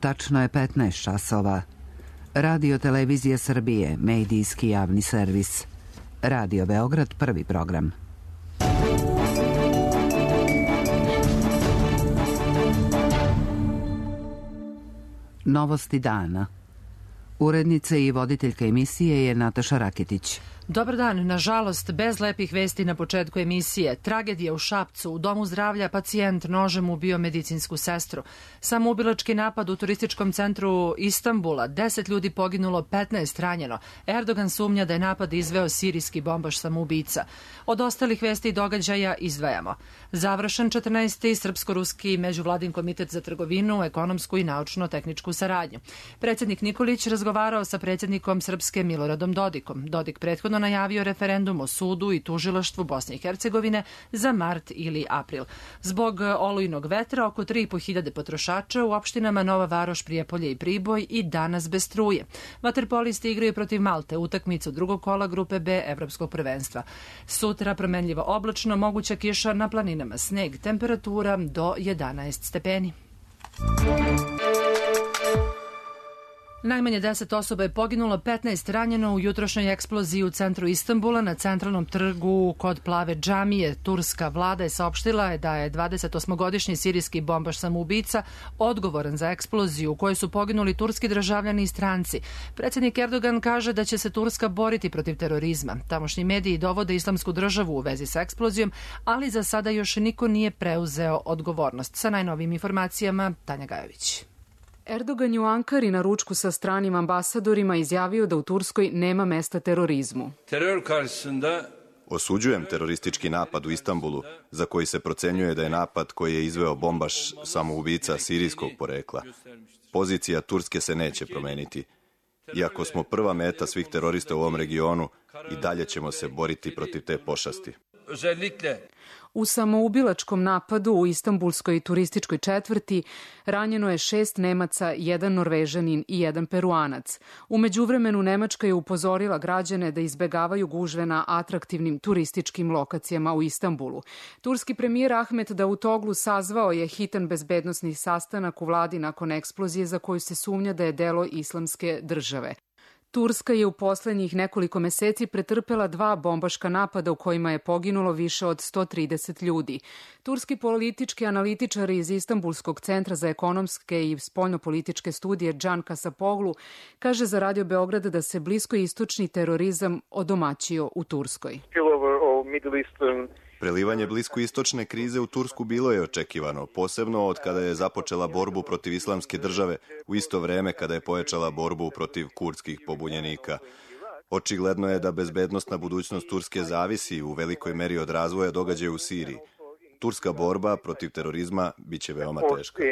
Tačno je 15 časova. Radio Televizija Srbije, medijski javni servis. Radio Beograd, prvi program. Novosti dana. Urednica i voditeljka emisije je Nataša Raketić. Dobar dan. Nažalost, bez lepih vesti na početku emisije. Tragedija u Šapcu. U domu zdravlja pacijent nožem ubio medicinsku sestru. Samoubilački napad u turističkom centru Istanbula. 10 ljudi poginulo, 15 ranjeno. Erdogan sumnja da je napad izveo sirijski bombaš samoubica. Od ostalih vesti i događaja izdvajamo. Završen 14. Srpsko-ruski međuvladin komitet za trgovinu, ekonomsku i naučno-tehničku saradnju. Predsjednik Nikolić razgovarao sa predsjednikom Srpske Miloradom Dodikom. Dodik prethodno najavio referendum o sudu i tužilaštvu Bosne i Hercegovine za mart ili april. Zbog olujnog vetra oko 3.500 potrošača u opštinama Nova Varoš, Prijepolje i Priboj i danas bez struje. Vaterpolisti igraju protiv Malte utakmicu drugog kola grupe B Evropskog prvenstva. Sutra promenljivo oblačno, moguća kiša na planinama, sneg, temperatura do 11 stepeni. Najmanje 10 osoba je poginulo, 15 ranjeno u jutrošnjoj eksploziji u centru Istanbula na centralnom trgu kod Plave džamije. Turska vlada je saopštila da je 28-godišnji sirijski bombaš samoubica odgovoran za eksploziju u kojoj su poginuli turski državljani i stranci. Predsjednik Erdogan kaže da će se Turska boriti protiv terorizma. Tamošnji mediji dovode Islamsku državu u vezi sa eksplozijom, ali za sada još niko nije preuzeo odgovornost. Sa najnovijim informacijama Tanja Gajović. Erdogan je u Ankari na ručku sa stranim ambasadorima izjavio da u Turskoj nema mesta terorizmu. Osuđujem teroristički napad u Istanbulu, za koji se procenjuje da je napad koji je izveo bombaš samoubica sirijskog porekla. Pozicija Turske se neće promeniti. Iako smo prva meta svih terorista u ovom regionu, i dalje ćemo se boriti protiv te pošasti. U samoubilačkom napadu u istambulskoj turističkoj četvrti ranjeno je 6 Nemaca, 1 Norvežanin i 1 Peruanac. U međuvremenu Nemačka je upozorila građane da izbegavaju gužve na atraktivnim turističkim lokacijama u Istanbulu. Turski premijer Ahmet Davutoglu sazvao je hitan bezbednosni sastanak u vladi nakon eksplozije za koju se sumnja da je delo Islamske države. Turska je u poslednjih nekoliko meseci pretrpela 2 bombaška napada u kojima je poginulo više od 130 ljudi. Turski politički analitičar iz Istanbulskog centra za ekonomske i spoljnopolitičke studije Can Kasapoglu kaže za Radio Beograd da se bliskoistočni terorizam odomaćio u Turskoj. Prelivanje bliskoistočne krize u Tursku bilo je očekivano, posebno od kada je započela borbu protiv Islamske države, u isto vreme kada je pojačala borbu protiv kurdskih pobunjenika. Očigledno je da bezbednosna budućnost Turske zavisi u velikoj meri od razvoja događaja u Siriji. Turska borba protiv terorizma biće veoma teška.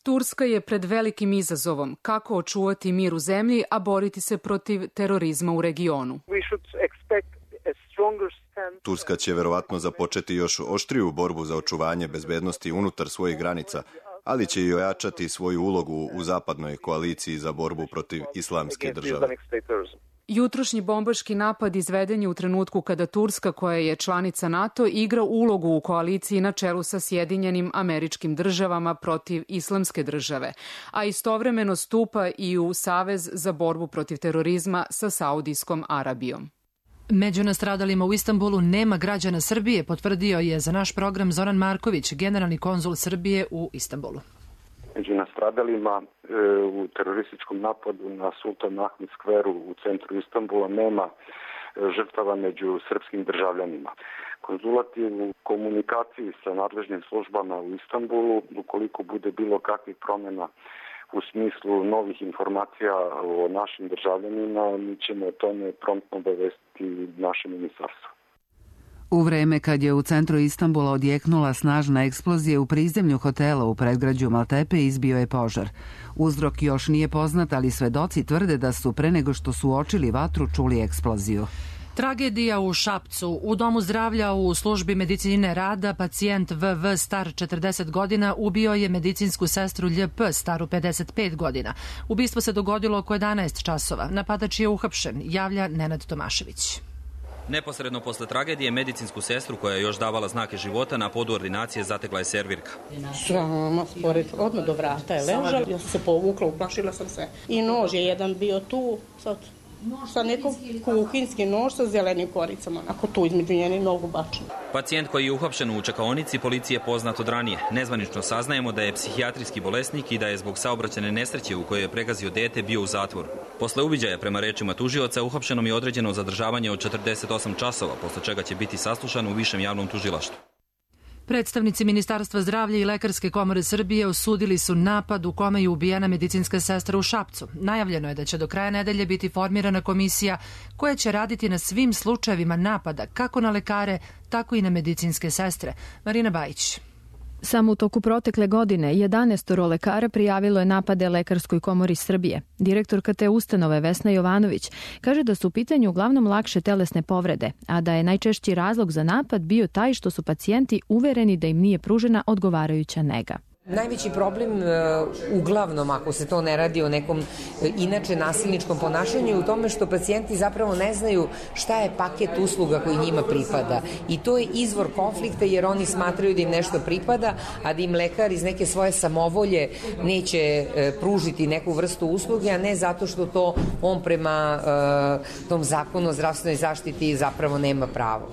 Turska je pred velikim izazovom kako očuvati mir u zemlji, a boriti se protiv terorizma u regionu. Turska će verovatno započeti još oštriju borbu za očuvanje bezbednosti unutar svojih granica, ali će i ojačati svoju ulogu u zapadnoj koaliciji za borbu protiv Islamske države. Jutrošnji bombaški napad izveden je u trenutku kada Turska, koja je članica NATO, igra ulogu u koaliciji na čelu sa Sjedinjenim Američkim Državama protiv Islamske države, a istovremeno stupa i u Savez za borbu protiv terorizma sa Saudijskom Arabijom. Među nastradalima u Istanbulu nema građana Srbije, potvrdio je za naš program Zoran Marković, generalni konzul Srbije u Istanbulu. Među nastradalima u terorističkom napadu na Sultan Ahmet skveru u centru Istanbula nema žrtava među srpskim državljanima. Konzulat je u komunikaciji sa nadležnim službama u Istanbulu. Ukoliko bude bilo kakvih promjena u smislu novih informacija o našim državljanima, mi ćemo o tome promptno obavestiti naše ministarstvo. U vreme kad je u centru Istanbula odjeknula snažna eksplozija u prizemlju hotela u predgrađu Maltepe, izbio je požar. Uzrok još nije poznat, ali svedoci tvrde da su pre nego što su uočili vatru čuli eksploziju. Tragedija u Šapcu. U domu zdravlja u službi medicine rada pacijent VV star 40 godina ubio je medicinsku sestru LJP staru 55 godina. Ubistvo se dogodilo oko 11 časova. Napadač je uhapšen, javlja Nenad Tomašević. Neposredno posle tragedije medicinsku sestru koja je još davala znake života na podu ordinacije zatekla je servirka. Sama spored, odmah do vrata je ležala, ja sam se povukla, uplašila sam se. I nož je jedan bio tu, sa nekog kuhinski nož sa zelenim koricama, ako tu između njeni nogu bačena. Pacijent koji je uhapšen u čekaonici policije je poznat od ranije. Nezvanično saznajemo da je psihijatrijski bolesnik i da je zbog saobraćajne nesreće u kojoj je pregazio dete bio u zatvoru. Posle uviđaja, prema rečima tužioca, uhapšenom je određeno zadržavanje od 48 časova, posle čega će biti saslušan u Višem javnom tužilaštvu. Predstavnici Ministarstva zdravlja i Lekarske komore Srbije osudili su napad u kome je ubijena medicinska sestra u Šapcu. Najavljeno je da će do kraja nedelje biti formirana komisija koja će raditi na svim slučajevima napada, kako na lekare, tako i na medicinske sestre. Marina Bajić. Samo u toku protekle godine 11 lekara prijavilo je napade Lekarskoj komori Srbije. Direktorka te ustanove Vesna Jovanović kaže da su u pitanju uglavnom lakše telesne povrede, a da je najčešći razlog za napad bio taj što su pacijenti uvereni da im nije pružena odgovarajuća nega. Najveći problem, uglavnom, ako se to ne radi o nekom inače nasilničkom ponašanju, je u tome što pacijenti zapravo ne znaju šta je paket usluga koji njima pripada. I to je izvor konflikta jer oni smatraju da im nešto pripada, a da im lekar iz neke svoje samovolje neće pružiti neku vrstu usluge, a ne zato što to on prema tom zakonu o zdravstvenoj zaštiti zapravo nema pravo.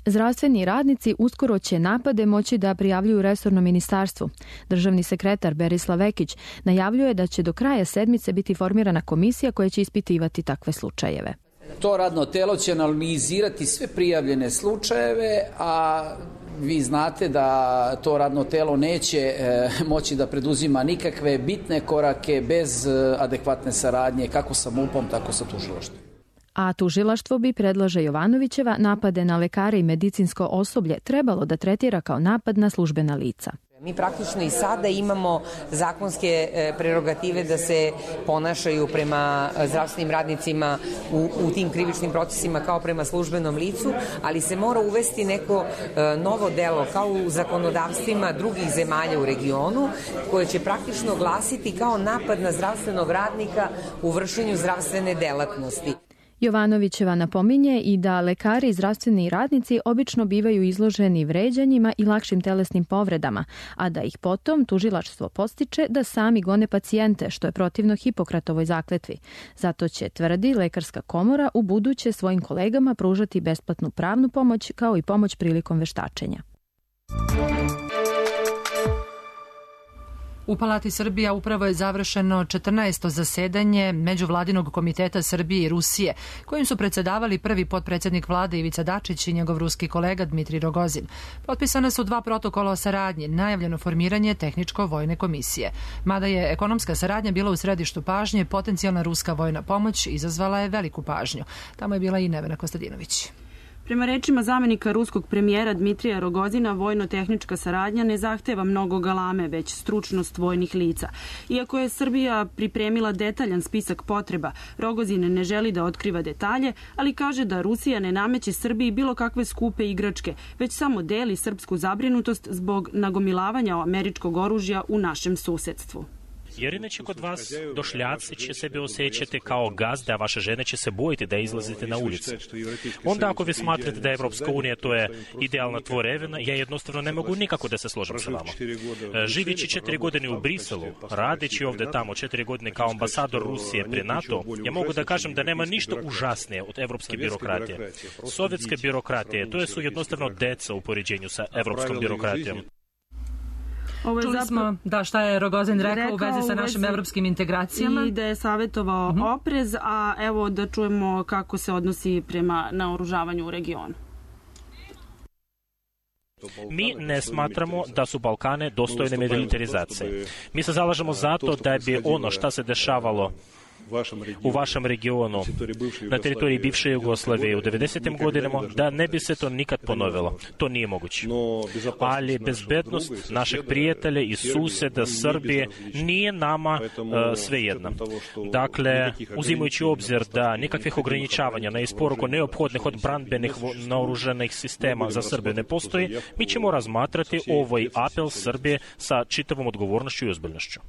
Zdravstveni radnici uskoro će napade moći da prijavljuju resornom ministarstvu. Državni sekretar Berislav Vekić najavljuje da će do kraja sedmice biti formirana komisija koja će ispitivati takve slučajeve. To radno telo će analizirati sve prijavljene slučajeve, a vi znate da to radno telo neće moći da preduzima nikakve bitne korake bez adekvatne saradnje kako sa MUP-om, tako sa tužilaštvom. A tužilaštvo bi, predlaže Jovanovićeva, napade na lekare i medicinsko osoblje trebalo da tretira kao napad na službena lica. Mi praktično i sada imamo zakonske prerogative da se ponašaju prema zdravstvenim radnicima u tim krivičnim procesima kao prema službenom licu, ali se mora uvesti neko novo delo kao u zakonodavstvima drugih zemalja u regionu, koje će praktično glasiti kao napad na zdravstvenog radnika u vršenju zdravstvene delatnosti. Jovanovićeva napominje i da lekari i zdravstveni radnici obično bivaju izloženi vređanjima i lakšim telesnim povredama, a da ih potom tužilaštvo podstiče da sami gone pacijente, što je protivno Hipokratovoj zakletvi. Zato će, tvrdi Lekarska komora, u buduće svojim kolegama pružati besplatnu pravnu pomoć kao i pomoć prilikom veštačenja. U Palati Srbija upravo je završeno 14. zasedanje Međuvladinog komiteta Srbije i Rusije, kojim su predsedavali prvi potpredsednik vlade Ivica Dačić i njegov ruski kolega Dmitrij Rogozin. Potpisane su 2 protokola o saradnji, najavljeno formiranje tehničko-vojne komisije. Mada je ekonomska saradnja bila u središtu pažnje, potencijalna ruska vojna pomoć izazvala je veliku pažnju. Tamo je bila i Nevena Kostadinović. Prema rečima zamenika ruskog premijera Dmitrija Rogozina, vojno-tehnička saradnja ne zahteva mnogo galame, već stručnost vojnih lica. Iako je Srbija pripremila detaljan spisak potreba, Rogozin ne želi da otkriva detalje, ali kaže da Rusija ne nameće Srbiji bilo kakve skupe igračke, već samo deli srpsku zabrinutost zbog nagomilavanja američkog oružja u našem susedstvu. Jer inače kod vas došljaci će sebe osjećati kao gazde, a vaše žene će se bojiti da izlazite na ulicu. Onda ako vi smatrate da je Evropska unija to je idealna tvorevina, ja jednostavno ne mogu nikako da se složim sa vama. Živeći 4 godine u Briselu, radeći ovde tamo 4 godine kao ambasador Rusije pri NATO, ja mogu da kažem da nema ništa užasnije od evropske birokratije. Sovjetske birokratije, to su jednostavno deca u poređenju sa evropskom birokratijom. Čuli smo šta je Rogozin rekao u vezi sa našim evropskim integracijama. I da je savjetovao oprez, a evo da čujemo kako se odnosi prema naoružavanju u regionu. Mi ne smatramo da su Balkane dostojne militarizacije. Mi se zalažemo zato da bi ono šta se dešavalo u vašem regionu, na teritoriji bivše Jugoslavije u 90. godinama, da ne bi se to nikad ponovilo. To nije moguće. Ali bezbednost našeg prijatelja i suseda Srbije nije nama svejedna. Dakle, uzimajući obzir da nikakvih ograničavanja na isporuku neophodnih od branbenih naoružanih sistema za Srbiju ne postoji, mi ćemo razmatrati ovaj apel Srbije sa čitavom odgovornošću i ozbiljnošću.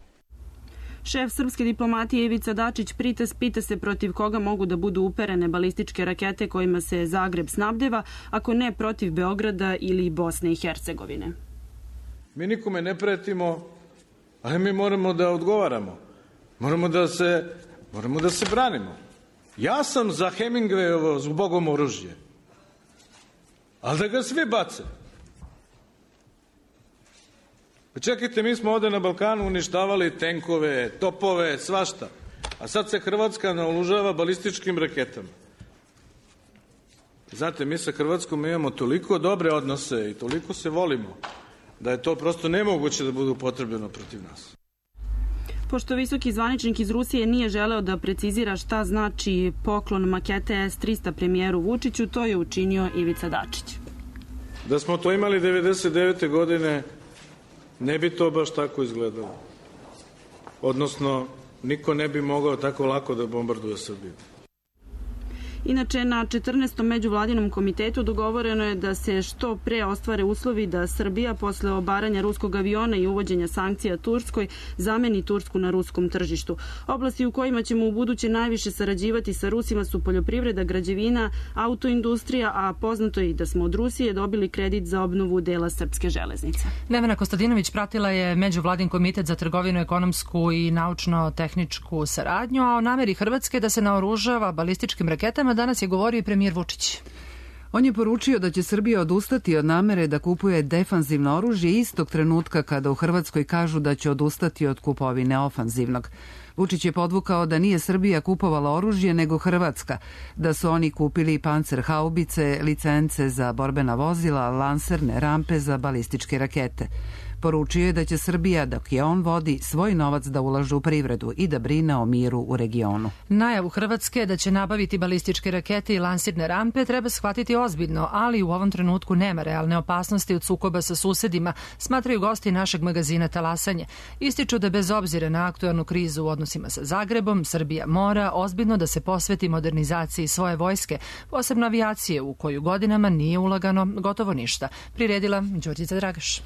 Šef srpske diplomatije Ivica Dačić pita se protiv koga mogu da budu uperene balističke rakete kojima se Zagreb snabdeva, ako ne protiv Beograda ili Bosne i Hercegovine. Mi nikome ne pretimo, ali mi moramo da odgovaramo. Moramo da se branimo. Ja sam za Hemingwayovo zbogom oružje, ali da ga svi bace. Čekajte, mi smo ovde na Balkanu uništavali tenkove, topove, svašta, a sad se Hrvatska naoružava balističkim raketama. Znate, mi sa Hrvatskom imamo toliko dobre odnose i toliko se volimo da je to prosto nemoguće da bude upotrebljeno protiv nas. Pošto visoki zvaničnik iz Rusije nije želeo da precizira šta znači poklon makete S-300 premijeru Vučiću, to je učinio Ivica Dačić. Da smo to imali 99. godine, ne bi to baš tako izgledalo. Odnosno, niko ne bi mogao tako lako da bombarduje Srbiju. Inače, na 14. međuvladinom komitetu dogovoreno je da se što pre ostvare uslovi da Srbija posle obaranja ruskog aviona i uvođenja sankcija Turskoj zameni Tursku na ruskom tržištu. Oblasti u kojima ćemo u buduće najviše sarađivati sa Rusima su poljoprivreda, građevina, autoindustrija, a poznato je i da smo od Rusije dobili kredit za obnovu dela srpske železnice. Nevena Kostadinović pratila je međuvladin komitet za trgovinu, ekonomsku i naučno-tehničku saradnju, a o nameri Hrvatske da se naoružava balističkim raketama danas je govorio i premijer Vučić. On je poručio da će Srbija odustati od namere da kupuje defanzivno oružje istog trenutka kada u Hrvatskoj kažu da će odustati od kupovine ofanzivnog. Vučić je podvukao da nije Srbija kupovala oružje nego Hrvatska, da su oni kupili pancerhaubice, licence za borbena vozila, lanserne rampe za balističke rakete. Poručio je da će Srbija, dok je on vodi, svoj novac da ulaže u privredu i da brine o miru u regionu. Najavu Hrvatske da će nabaviti balističke rakete i lansirne rampe treba shvatiti ozbiljno, ali u ovom trenutku nema realne opasnosti od sukoba sa susedima, smatraju gosti našeg magazina Talasanje. Ističu da bez obzira na aktuelnu krizu u odnosima sa Zagrebom, Srbija mora ozbiljno da se posveti modernizaciji svoje vojske, posebno avijacije u koju godinama nije ulagano gotovo ništa. Priredila Đurđica Dragaš.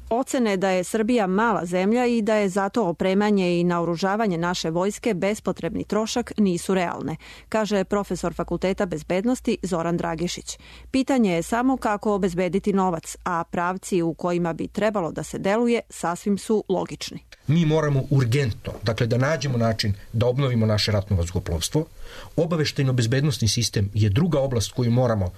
Ocene da je Srbija mala zemlja i da je zato opremanje i naoružavanje naše vojske bespotrebni trošak nisu realne, kaže profesor Fakulteta bezbednosti Zoran Dragišić. Pitanje je samo kako obezbediti novac, a pravci u kojima bi trebalo da se deluje sasvim su logični. Mi moramo urgentno, dakle da nađemo način da obnovimo naše ratno vazduhoplovstvo. Obaveštajno-bezbednosni sistem je druga oblast koju moramo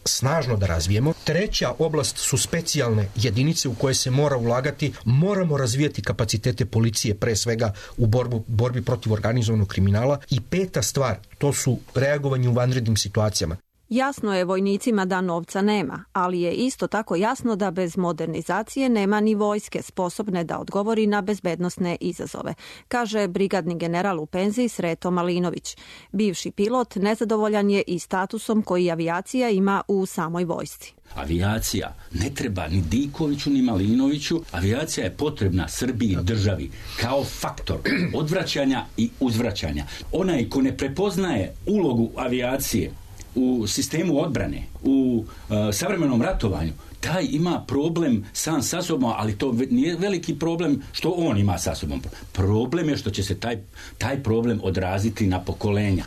snažno da razvijemo. Treća oblast su specijalne jedinice u koje se mora ulagati. Moramo razvijati kapacitete policije, pre svega u borbi protiv organizovanog kriminala. I peta stvar, to su reagovanje u vanrednim situacijama. Jasno je vojnicima da novca nema, ali je isto tako jasno da bez modernizacije nema ni vojske sposobne da odgovori na bezbednosne izazove, kaže brigadni general u penziji Sreto Malinović. Bivši pilot nezadovoljan je i statusom koji avijacija ima u samoj vojsci. Avijacija ne treba ni Dikoviću ni Malinoviću, avijacija je potrebna Srbiji državi kao faktor odvraćanja i uzvraćanja. Onaj ko ne prepoznaje ulogu avijacije u sistemu odbrane, u savremenom ratovanju, taj ima problem sam sa sobom, ali to nije veliki problem što on ima sa sobom. Problem je što će se taj problem odraziti na pokolenja.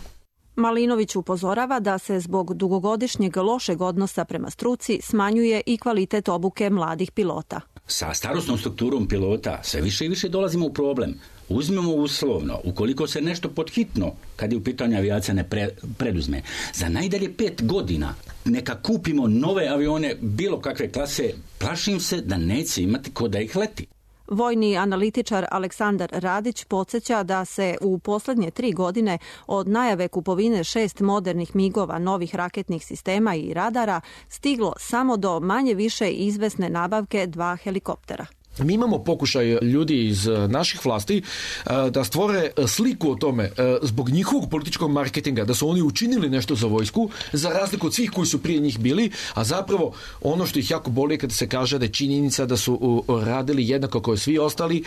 Malinović upozorava da se zbog dugogodišnjeg lošeg odnosa prema struci smanjuje i kvalitet obuke mladih pilota. Sa starosnom strukturom pilota sve više i više dolazimo u problem. Uzmemo uslovno, ukoliko se nešto podhitno, kad je u pitanju avijacija, ne preduzme, za najdalje 5 godina neka kupimo nove avione bilo kakve klase, plašim se da neće imati ko da ih leti. Vojni analitičar Aleksandar Radić podsjeća da se u poslednje 3 godine od najave kupovine 6 modernih migova, novih raketnih sistema i radara stiglo samo do manje više izvesne nabavke 2 helikoptera. Mi imamo pokušaj ljudi iz naših vlasti da stvore sliku o tome zbog njihovog političkog marketinga, da su oni učinili nešto za vojsku, za razliku od svih koji su prije njih bili, a zapravo ono što ih jako boli je kada se kaže da je činjenica da su radili jednako kao svi ostali,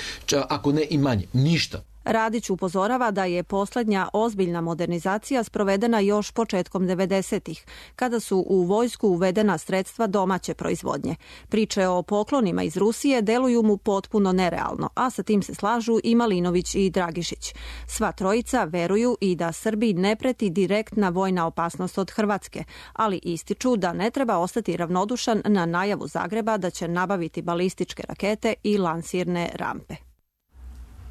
ako ne i manje. Ništa. Radić upozorava da je poslednja ozbiljna modernizacija sprovedena još početkom 90-ih, kada su u vojsku uvedena sredstva domaće proizvodnje. Priče o poklonima iz Rusije deluju mu potpuno nerealno, a sa tim se slažu i Malinović i Dragišić. Sva trojica veruju i da Srbiji ne preti direktna vojna opasnost od Hrvatske, ali ističu da ne treba ostati ravnodušan na najavu Zagreba da će nabaviti balističke rakete i lansirne rampe.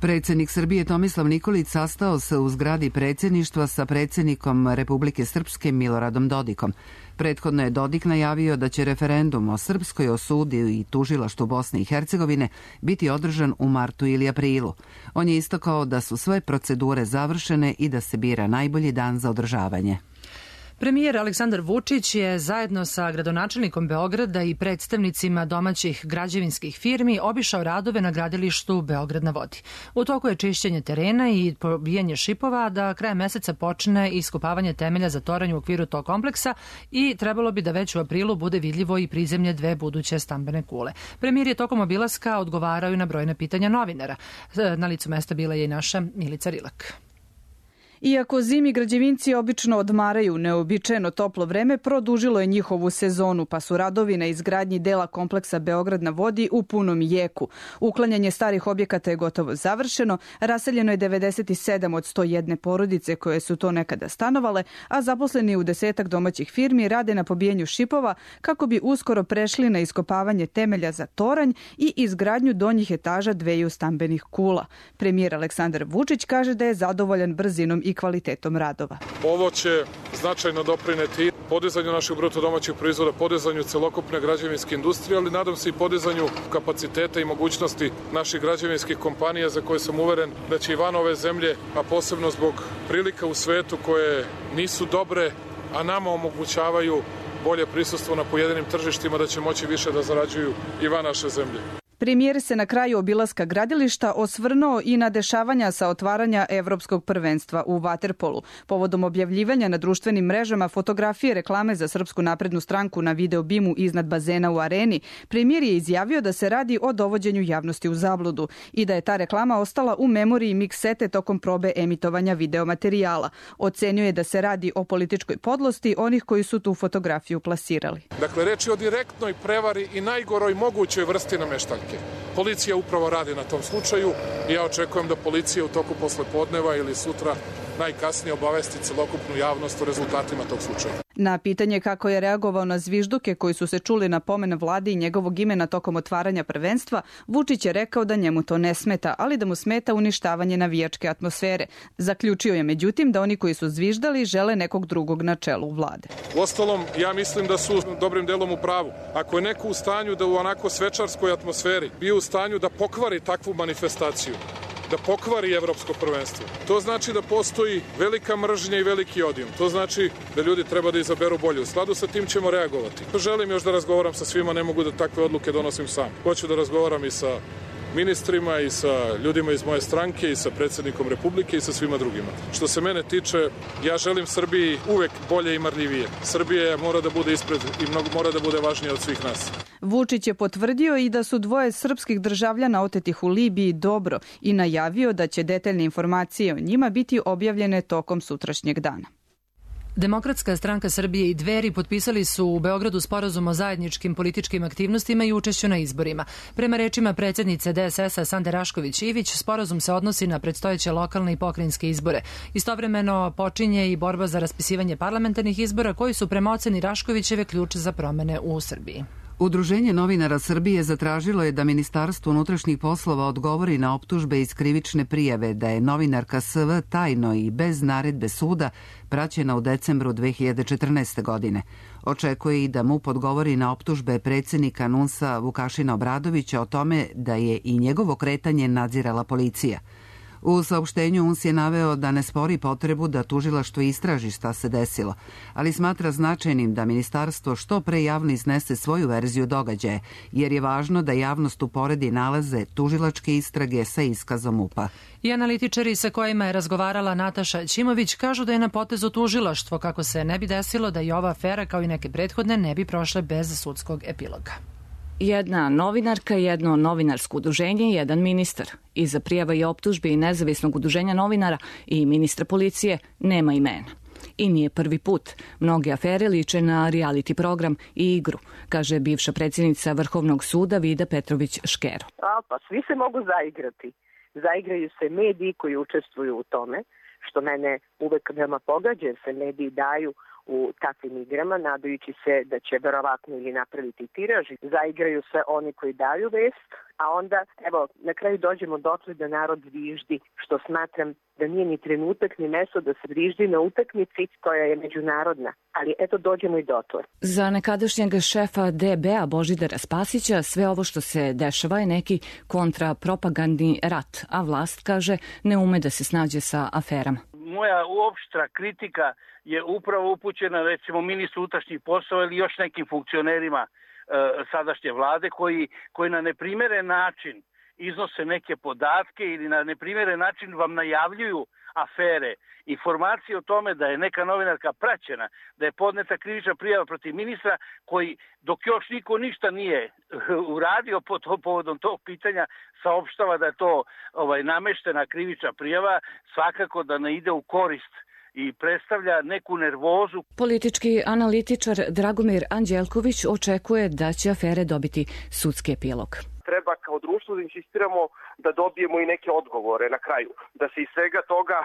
Predsjednik Srbije Tomislav Nikolić sastao se u zgradi predsjedništva sa predsjednikom Republike Srpske Miloradom Dodikom. Prethodno je Dodik najavio da će referendum o srpskoj osudi i tužilaštvu Bosne i Hercegovine biti održan u martu ili aprilu. On je istakao da su sve procedure završene i da se bira najbolji dan za održavanje. Premijer Aleksandar Vučić je zajedno sa gradonačelnikom Beograda i predstavnicima domaćih građevinskih firmi obišao radove na gradilištu Beograd na vodi. U toku je čišćenje terena i pobijanje šipova, da krajem meseca počne iskopavanje temelja za toranj u okviru tog kompleksa i trebalo bi da već u aprilu bude vidljivo i prizemlje dve buduće stambene kule. Premijer je tokom obilaska odgovarao i na brojna pitanja novinara. Na licu mesta bila je i naša Milica Rilak. Iako zimi građevinci obično odmaraju, neobičajeno toplo vreme produžilo je njihovu sezonu, pa su radovi na izgradnji dela kompleksa Beograd na vodi u punom jeku. Uklanjanje starih objekata je gotovo završeno, raseljeno je 97 od 101 porodice koje su to nekada stanovale, a zaposleni u 10 domaćih firmi rade na pobijanju šipova kako bi uskoro prešli na iskopavanje temelja za toranj i izgradnju donjih etaža dveju stambenih kula. Premijer Aleksandar Vučić kaže da je zadovoljan brzinom i kvalitetom radova. Ovo će značajno doprineti podizanju našeg bruto domaćeg proizvoda, podizanju celokupne građevinske industrije, ali nadam se i podizanju kapaciteta i mogućnosti naših građevinskih kompanija za koje sam uveren da će i van ove zemlje, a posebno zbog prilika u svetu koje nisu dobre, a nama omogućavaju bolje prisustvo na pojedinim tržištima, da će moći više da zarađuju i van naše zemlje. Premijer se na kraju obilaska gradilišta osvrnuo i na dešavanja sa otvaranja Evropskog prvenstva u vaterpolu. Povodom objavljivanja na društvenim mrežama fotografije reklame za Srpsku naprednu stranku na video bimu iznad bazena u areni, premijer je izjavio da se radi o dovođenju javnosti u zabludu i da je ta reklama ostala u memoriji miksete tokom probe emitovanja videomaterijala. Ocenio je da se radi o političkoj podlosti onih koji su tu fotografiju plasirali. Dakle, reč je o direktnoj prevari i najgoroj mogućoj vrsti nameštaljke. Policija upravo radi na tom slučaju i ja očekujem da policija u toku poslepodneva ili sutra najkasnije obavesti celokupnu javnost o rezultatima tog slučaja. Na pitanje kako je reagovao na zvižduke koji su se čuli na pomen vlade i njegovog imena tokom otvaranja prvenstva, Vučić je rekao da njemu to ne smeta, ali da mu smeta uništavanje navijačke atmosfere. Zaključio je međutim da oni koji su zviždali žele nekog drugog na čelu vlade. Uostalom, ja mislim da su dobrim delom u pravu. Ako je neko u stanju da u onako svečarskoj atmosferi bio u stanju da pokvari takvu manifestaciju, da pokvari evropsko prvenstvo, to znači da postoji velika mržnja i veliki odijum. To znači da ljudi treba da izaberu bolje. U skladu sa tim ćemo reagovati. Želim još da razgovaram sa svima, ne mogu da takve odluke donosim sam. Hoću da razgovaram i sa ministrima i sa ljudima iz moje stranke i sa predsjednikom Republike i sa svima drugima. Što se mene tiče, ja želim Srbiji uvek bolje i marljivije. Srbija mora da bude ispred i mora da bude važnija od svih nas. Vučić je potvrdio i da su dvoje srpskih državljana otetih u Libiji dobro i najavio da će detaljne informacije o njima biti objavljene tokom sutrašnjeg dana. Demokratska stranka Srbije i Dveri potpisali su u Beogradu sporazum o zajedničkim političkim aktivnostima i učešću na izborima. Prema rečima predsjednice DSS-a Sande Rašković-Ivić, sporazum se odnosi na predstojeće lokalne i pokrajinske izbore. Istovremeno počinje i borba za raspisivanje parlamentarnih izbora koji su prema oceni Raškovićeve ključ za promene u Srbiji. Udruženje novinara Srbije zatražilo je da Ministarstvo unutrašnjih poslova odgovori na optužbe iz krivične prijave da je novinarka SV tajno i bez naredbe suda praćena u decembru 2014. godine. Očekuje i da MUP odgovori na optužbe predsjednika NUNS-a Vukašina Obradovića o tome da je i njegovo kretanje nadzirala policija. U saopštenju UNS je naveo da ne spori potrebu da tužilaštvo istraži šta se desilo, ali smatra značajnim da ministarstvo što pre javno iznese svoju verziju događaja, jer je važno da javnost uporedi nalaze tužilačke istrage sa iskazom MUP-a. I analitičari sa kojima je razgovarala Nataša Ćimović kažu da je na potezu tužilaštvo kako se ne bi desilo da i ova afera kao i neke prethodne ne bi prošle bez sudskog epiloga. Jedna novinarka, jedno novinarsko udruženje i jedan ministar. Iza prijava i optužbi i nezavisnog udruženja novinara i ministra policije nema imena. I nije prvi put. Mnoge afere liče na reality program i igru, kaže bivša predsjednica Vrhovnog suda Vida Petrović-Škero. Pa svi se mogu zaigrati. Zaigraju se mediji koji učestvuju u tome, što mene uvek veoma pogađa, jer se mediji daju u takvim igrama, nadajući se da će verovatno ili napraviti tiraž. Zaigraju se oni koji daju vest, a onda, evo, na kraju dođemo dotle da narod zviždi, što smatram da nije ni trenutak ni mesto da se zviždi na utakmici koja je međunarodna. Ali eto, dođemo i dotle. Za nekadašnjeg šefa DB-a Božidara Spasića sve ovo što se dešava je neki kontrapropagandni rat, a vlast, kaže, ne ume da se snađe sa aferama. Moja uopštra kritika je upravo upućena recimo ministru unutrašnjih poslova ili još nekim funkcionerima sadašnje vlade koji na neprimeren način iznose neke podatke ili na neprimeren način vam najavljuju afere. Informacije o tome da je neka novinarka praćena, da je podneta krivična prijava protiv ministra koji dok još niko ništa nije uradio povodom tog pitanja saopštava da je to nameštena krivična prijava, svakako da ne ide u korist i predstavlja neku nervozu. Politički analitičar Dragomir Anđelković očekuje da će afere dobiti sudski epilog. Treba kao društvo da insistiramo da dobijemo i neke odgovore na kraju, da se iz svega toga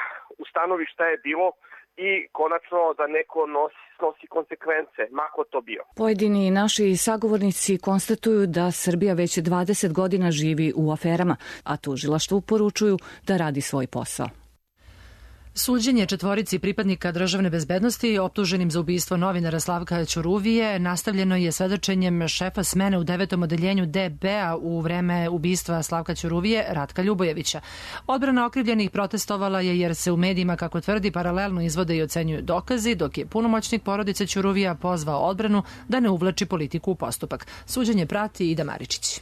ustanovi šta je bilo i konačno da neko snosi konsekvence, mako to bio. Pojedini naši sagovornici konstatuju da Srbija već 20 godina živi u aferama, a tužilaštvu poručuju da radi svoj posao. Suđenje četvorici pripadnika državne bezbednosti optuženim za ubistvo novinara Slavka Ćuruvije nastavljeno je svedočenjem šefa smene u 9. odeljenju DB-a u vreme ubistva Slavka Ćuruvije, Ratka Ljubojevića. Odbrana okrivljenih protestovala je jer se u medijima, kako tvrdi, paralelno izvode i ocenjuju dokazi, dok je punomoćnik porodice Ćuruvija pozvao odbranu da ne uvlači politiku u postupak. Suđenje prati Ida Maričić.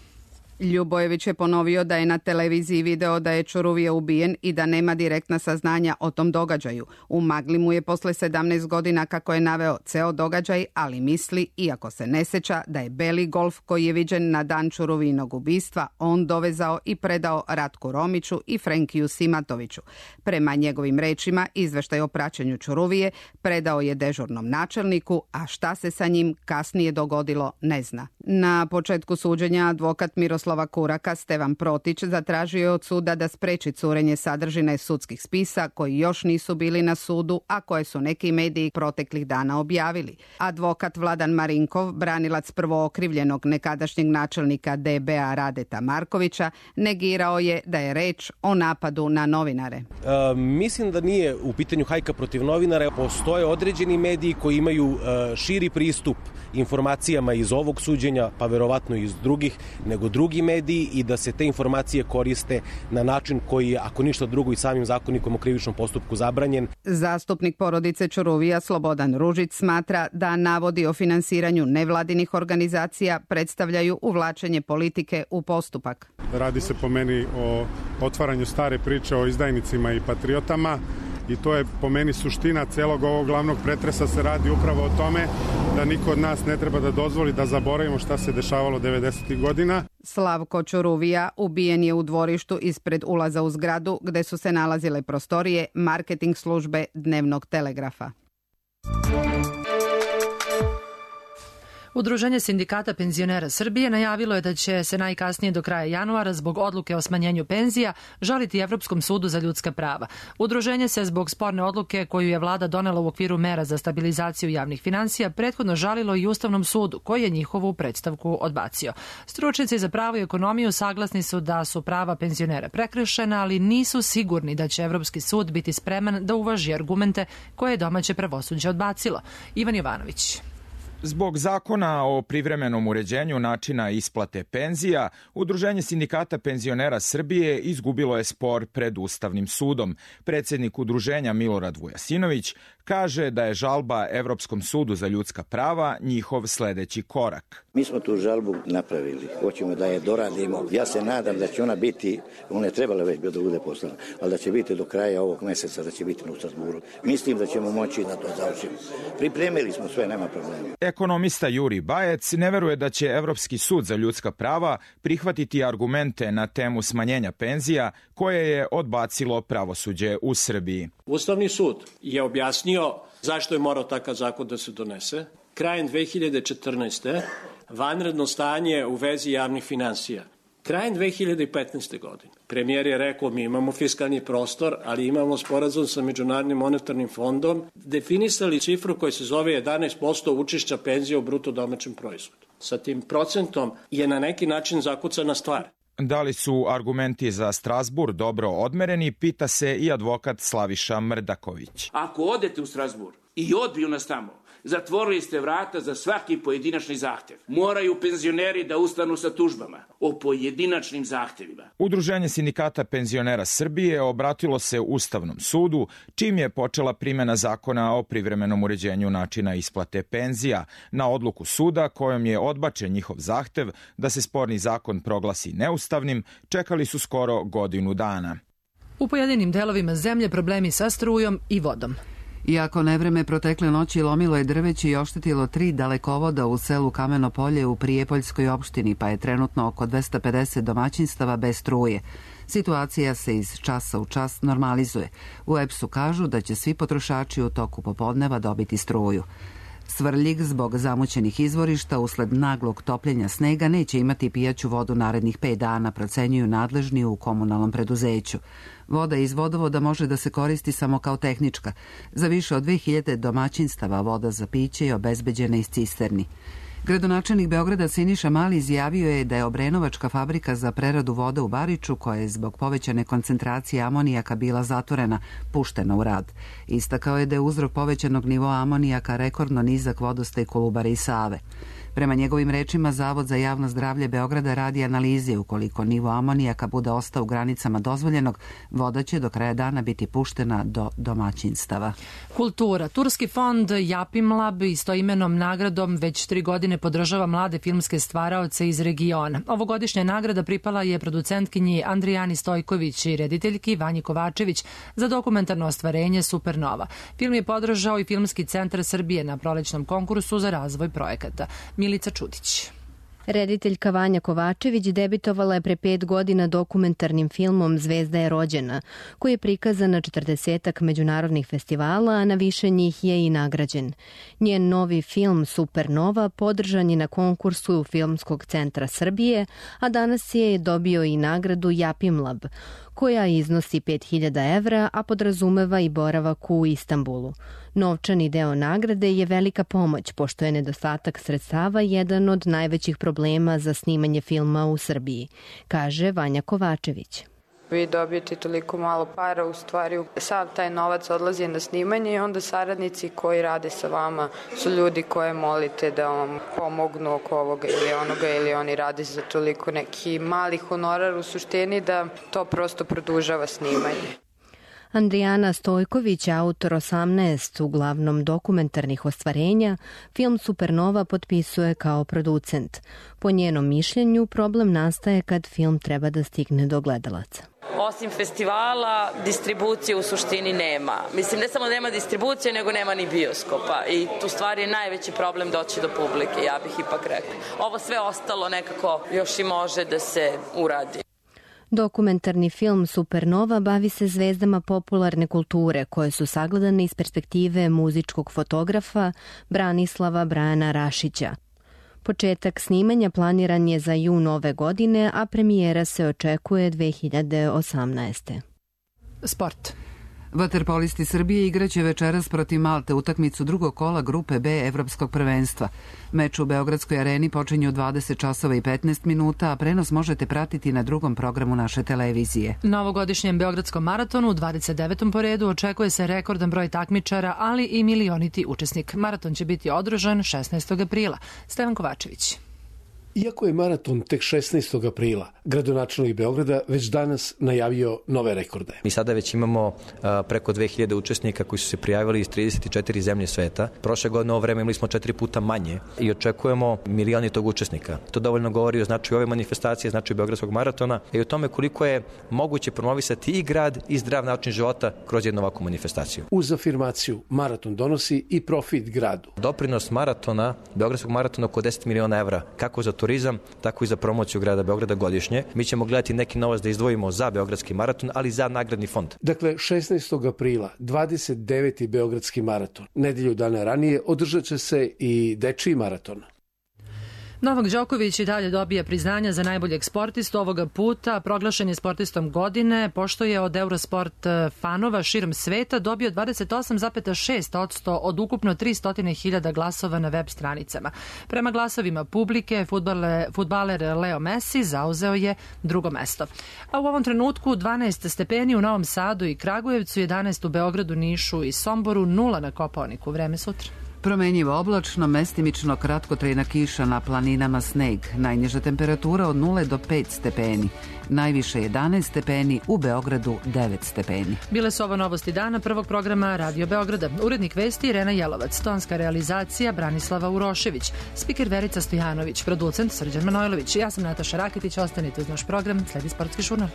Ljubojević je ponovio da je na televiziji video da je Ćuruvija ubijen i da nema direktna saznanja o tom događaju. U magli mu je posle 17 godina, kako je naveo, ceo događaj, ali misli, iako se ne seća, da je beli Golf koji je viđen na dan Ćuruvijinog ubistva on dovezao i predao Ratku Romiću i Frenkiju Simatoviću. Prema njegovim rečima, izveštaj o praćenju Ćuruvije predao je dežurnom načelniku, a šta se sa njim kasnije dogodilo ne zna. Na početku suđenja advokat Miroslava Kuraka Stevan Protić zatražio je od suda da spreči curenje sadržine sudskih spisa koji još nisu bili na sudu, a koje su neki mediji proteklih dana objavili. Advokat Vladan Marinkov, branilac prvookrivljenog nekadašnjeg načelnika DB-a Radeta Markovića, negirao je da je reč o napadu na novinare. Mislim da nije u pitanju hajka protiv novinara. Postoje određeni mediji koji imaju širi pristup informacijama iz ovog suđenja, pa verovatno iz drugih, nego drugi mediji, i da se te informacije koriste na način koji je, ako ništa drugo, i samim zakonikom o krivičnom postupku zabranjen. Zastupnik porodice Ćuruvija Slobodan Ružić smatra da navodi o finansiranju nevladinih organizacija predstavljaju uvlačenje politike u postupak. Radi se po meni o otvaranju stare priče o izdajnicima i patriotama. I to je po meni suština celog ovog glavnog pretresa. Se radi upravo o tome da niko od nas ne treba da dozvoli da zaboravimo šta se dešavalo 90. godina. Slavko Ćuruvija ubijen je u dvorištu ispred ulaza u zgradu gde su se nalazile prostorije marketing službe Dnevnog telegrafa. Udruženje sindikata penzionera Srbije najavilo je da će se najkasnije do kraja januara zbog odluke o smanjenju penzija žaliti Evropskom sudu za ljudska prava. Udruženje se zbog sporne odluke koju je vlada donela u okviru mera za stabilizaciju javnih finansija prethodno žalilo i Ustavnom sudu, koji je njihovu predstavku odbacio. Stručnjaci za pravo i ekonomiju saglasni su da su prava penzionera prekršena, ali nisu sigurni da će Evropski sud biti spreman da uvaži argumente koje je domaće pravosuđe odbacilo. Ivan Jovanović. Zbog zakona o privremenom uređenju načina isplate penzija, Udruženje sindikata penzionera Srbije izgubilo je spor pred Ustavnim sudom. Predsjednik udruženja Milorad Vujasinović kaže da je žalba Evropskom sudu za ljudska prava njihov sledeći korak. Mi smo tu žalbu napravili, hoćemo da je doradimo. Ja se nadam da će ona biti, ona je trebala već da bude poslana, ali da će biti do kraja ovog meseca, da će biti u Strasburu. Mislim da ćemo moći da to završimo. Pripremili smo sve, nema problema. Ekonomista Juri Bajec ne veruje da će Evropski sud za ljudska prava prihvatiti argumente na temu smanjenja penzija koje je odbacilo pravosuđe u Srbiji. Ustavni sud je objasnio zašto je morao takav zakon da se donese. Krajem 2014. vanredno stanje u vezi javnih finansija. Krajem 2015. godine premijer je rekao mi imamo fiskalni prostor, ali imamo sporazum sa Međunarodnim monetarnim fondom, definisali cifru koja se zove 11% učešća penzija u bruto domaćem proizvodu. Sa tim procentom je na neki način zakucana stvar. Da li su argumenti za Strazbur dobro odmereni, pita se i advokat Slaviša Mrdaković. Ako odete u Strazbur i odbiju nas tamo, zatvorili ste vrata za svaki pojedinačni zahtev. Moraju penzioneri da ustanu sa tužbama o pojedinačnim zahtevima. Udruženje sindikata penzionera Srbije obratilo se Ustavnom sudu, čim je počela primjena zakona o privremenom uređenju načina isplate penzija, na odluku suda kojom je odbačen njihov zahtev da se sporni zakon proglasi neustavnim, čekali su skoro godinu dana. U pojedinim delovima zemlje problemi sa strujom i vodom. Iako nevreme protekle noći lomilo je drveće i oštetilo 3 dalekovoda u selu Kameno Polje u Prijepoljskoj opštini, pa je trenutno oko 250 domaćinstava bez struje. Situacija se iz časa u čas normalizuje. U EPS-u kažu da će svi potrošači u toku popodneva dobiti struju. Svrljig zbog zamućenih izvorišta usled naglog topljenja snega neće imati pijaću vodu narednih 5 dana, procenjuju nadležni u komunalnom preduzeću. Voda iz vodovoda može da se koristi samo kao tehnička. Za više od 2000 domaćinstava voda za piće je obezbeđena iz cisterni. Gradonačelnik Beograda Siniša Mali izjavio je da je Obrenovačka fabrika za preradu vode u Bariču, koja je zbog povećane koncentracije amonijaka bila zatvorena, puštena u rad. Istakao je da je uzrok povećanog nivoa amonijaka rekordno nizak vodostaj Kolubare i Save. Prema njegovim rečima, Zavod za javno zdravlje Beograda radi analize. Ukoliko nivo amonijaka bude ostao u granicama dozvoljenog, voda će do kraja dana biti puštena do domaćinstava. Kultura. Turski fond Japimlab istoimenom nagradom već 3 godine podržava mlade filmske stvaraoce iz regiona. Ovogodišnja nagrada pripala je producentkinji Andrijani Stojković i rediteljki Vanji Kovačević za dokumentarno ostvarenje Supernova. Film je podržao i Filmski centar Srbije na prolećnom konkursu za razvoj projekata. Milica Čudić. Rediteljka Vanja Kovačević debitovala je pre 5 godina dokumentarnim filmom Zvezda je rođena, koji je prikazan na 40-ak međunarodnih festivala, a na više njih je i nagrađen. Njen novi film Supernova podržan je na konkursu Filmskog centra Srbije, a danas je dobio i nagradu Japimlab, koja iznosi 5.000 evra, a podrazumeva i boravak u Istanbulu. Novčani deo nagrade je velika pomoć, pošto je nedostatak sredstava jedan od najvećih problema za snimanje filma u Srbiji, kaže Vanja Kovačević. Vi dobijete toliko malo para, u stvari sav taj novac odlazi na snimanje i onda saradnici koji rade sa vama su ljudi koje molite da vam pomognu oko ovoga ili onoga, ili oni rade za toliko neki mali honorar u suštini da to prosto produžava snimanje. Andrijana Stojković, autor 18 uglavnom dokumentarnih ostvarenja, film Supernova potpisuje kao producent. Po njenom mišljenju, problem nastaje kad film treba da stigne do gledalaca. Osim festivala, distribucije u suštini nema. Mislim, ne samo nema distribucije, nego nema ni bioskopa. I tu stvari je najveći problem doći do publike, ja bih ipak rekla. Ovo sve ostalo nekako još i može da se uradi. Dokumentarni film Supernova bavi se zvezdama popularne kulture koje su sagledane iz perspektive muzičkog fotografa Branislava Brajana Rašića. Početak snimanja planiran je za jun ove godine, a premijera se očekuje 2018. Sport. Vaterpolisti Srbije igraće večeras protiv Malte utakmicu drugog kola grupe B Evropskog prvenstva. Meč u Beogradskoj areni počinje u 20 časova i 15 minuta, a prenos možete pratiti na drugom programu naše televizije. Na ovogodišnjem Beogradskom maratonu u 29. po redu očekuje se rekordan broj takmičara, ali i milioniti učesnik. Maraton će biti održan 16. aprila. Stevan Kovačević. Iako je maraton tek 16. aprila, gradonačelnik Beograda već danas najavio nove rekorde. Mi sada već imamo preko 2000 učesnika koji su se prijavili iz 34 zemlje sveta. Prošle godine ovo vreme imali smo 4 puta manje i očekujemo milioni tog učesnika. To dovoljno govori o značaju ove manifestacije, značaju Beogradskog maratona i o tome koliko je moguće promovisati i grad i zdrav način života kroz jednu ovakvu manifestaciju. Uz afirmaciju, maraton donosi i profit gradu. Doprinos maratona, Beogradskog maratona oko 10 miliona evra, kako za turizam, tako i za promociju grada Beograda godišnje. Mi ćemo gledati neki novac da izdvojimo za Beogradski maraton, ali i za nagradni fond. Dakle, 16. aprila, 29. Beogradski maraton. Nedelju dana ranije održat će se i dečiji maraton. Novak Đoković i dalje dobija priznanja za najboljeg sportistu. Ovoga puta proglašen je sportistom godine, pošto je od Eurosport fanova širom sveta dobio 28,6% od ukupno 300.000 glasova na web stranicama. Prema glasovima publike, fudbaler Leo Messi zauzeo je drugo mesto. A u ovom trenutku 12 stepeni u Novom Sadu i Kragujevcu, 11 u Beogradu, Nišu i Somboru, 0 na Kopaoniku. Vreme sutra. Promenjivo oblačno, mestimično kratkotrajna kiša, na planinama sneg. Najniža temperatura od 0 do 5 stepeni. Najviše 11 stepeni, u Beogradu 9 stepeni. Bile su ovo novosti dana prvog programa Radio Beograda. Urednik vesti Irena Jelovac, tonska realizacija Branislava Urošević, spiker Verica Stojanović, producent Srđan Manojlović. Ja sam Nataša Raketić, ostanite uz naš program, sledi Sportski žurnal.